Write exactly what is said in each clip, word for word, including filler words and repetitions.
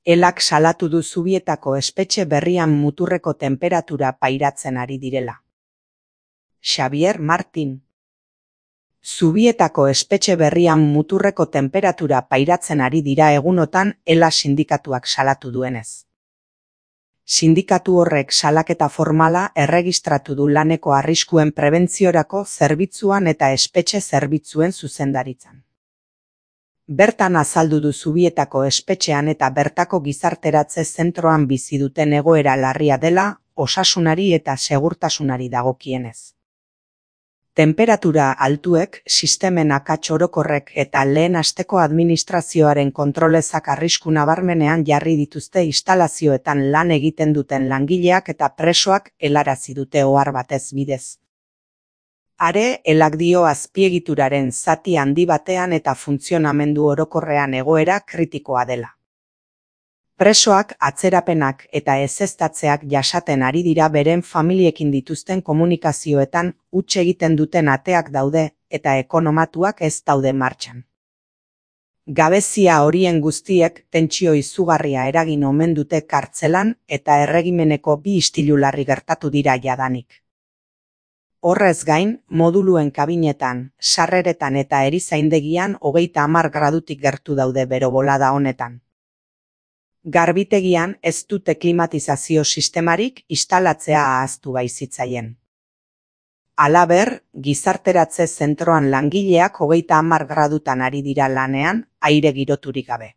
Elak salatu du Zubietako espetxe berrian muturreko tenperatura pairatzen ari direla. Xabier Martin. Zubietako espetxe berrian muturreko tenperatura pairatzen ari dira egunotan Ela sindikatuak salatu duenez. Sindikatu horrek salaketa formala erregistratu du laneko arriskuen prebentziorako zerbitzuan eta espetxe zerbitzuen zuzendaritzan. Bertan azaldu du Zubietako espetxean eta bertako gizarteratze zentroan bizi duten egoera larria dela, osasunari eta segurtasunari dagokienez. Tenperatura altuek, sistemen akats orokorrek eta lehen asteko administrazioaren kontrolezak arrisku nabarmenean jarri dituzte instalazioetan lan egiten duten langileak eta presoak helarazi dute ohar batez bidez. Are, Elak dio azpiegituraren zati handi batean eta funtzionamendu orokorrean egoera kritikoa dela. Presoak atzerapenak eta ezeztatzeak jasaten ari dira beren familiekin dituzten komunikazioetan huts egiten duten ateak daude eta ekonomatuak ez daude martxan. Gabezia horien guztiek tentsio izugarria eragin omen dute kartzelan eta erregimeneko bi istilu larri gertatu dira jadanik. Horrez gain, moduluen kabinetan, sarreretan eta erizaindegian hogeita hamar gradutik gertu daude bero bolada honetan. Garbitegian ez dute klimatizazio sistemarik instalatzea ahaztu baizitzaien. Halaber, gizarteratze zentroan langileak hogeita hamar gradutan ari dira lanean, aire giroturik gabe.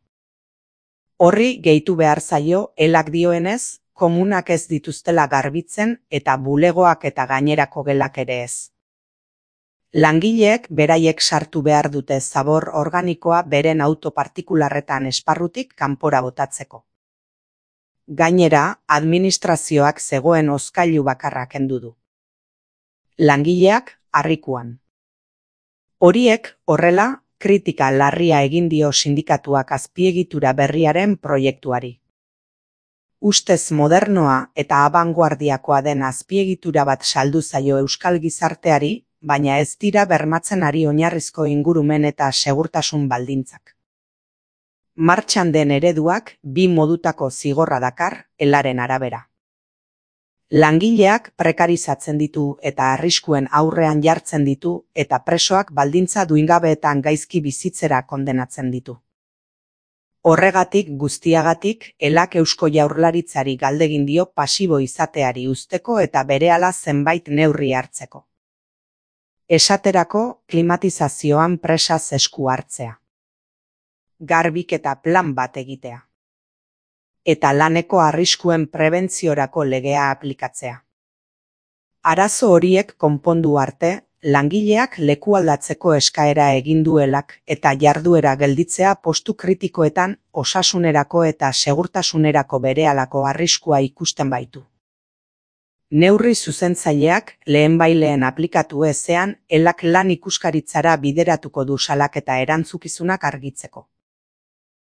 Horri gehitu behar zaio, Elak dioenez, komunak ez dituztela garbitzen eta bulegoak eta gainerako gelak ere ez. Langileek beraiek sartu behar dute zabor organikoa beren auto partikularretan esparrutik kanpora botatzeko. Gainera, administrazioak zegoen hozkailu bakarra kendu du. Langileak harrikuan. Horiek, horrela, kritika larria egin dio sindikatuak azpiegitura berriaren proiektuari. Ustez modernoa eta abanguardiakoa den azpiegitura bat saldu zaio euskal gizarteari, baina ez dira bermatzen ari oinarrizko ingurumen eta segurtasun baldintzak. Martxan den ereduak bi modutako zigorra dakar, Elaren arabera. Langileak prekarizatzen ditu eta arriskuen aurrean jartzen ditu eta presoak baldintza duingabeetan gaizki bizitzera kondenatzen ditu. Horregatik guztiagatik, Elak Eusko Jaurlaritzari galdegin dio pasibo izateari uzteko eta berehala zenbait neurri hartzeko. Esaterako, klimatizazioan presaz esku hartzea. Garbiketa plan bat egitea. Eta laneko arriskuen prebentziorako legea aplikatzea. Arazo horiek konpondu arte, langileak lekualdatzeko eskaera egin du Elak eta jarduera gelditzea postu kritikoetan osasunerako eta segurtasunerako berehalako arriskua ikusten baitu. Neurri zuzentzaileak lehenbaileen aplikatu ezean Elak lan ikuskaritzara bideratuko du salaketa erantzukizunak argitzeko.